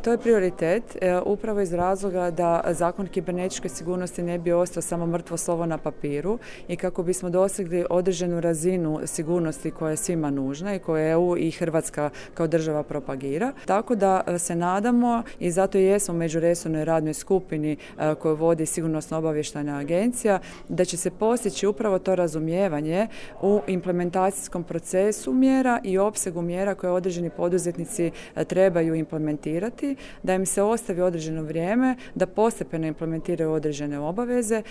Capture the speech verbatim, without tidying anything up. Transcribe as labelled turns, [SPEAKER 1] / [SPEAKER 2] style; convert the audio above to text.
[SPEAKER 1] To je prioritet e, upravo iz razloga da zakon kibernetičke sigurnosti ne bi ostao samo mrtvo slovo na papiru i kako bismo dosegli određenu razinu sigurnosti koja je svima nužna i koju E U i Hrvatska kao država propagira. Tako da se nadamo i zato i jesmo u međuresornoj radnoj skupini e, koju vodi Sigurnosno-obavještajna agencija, da će se postići upravo to razumijevanje u implementacijskom procesu mjera i opsegu mjera koje određeni poduzetnici e, trebaju implementirati, da im se ostavi određeno vrijeme, da postepeno implementiraju određene obaveze,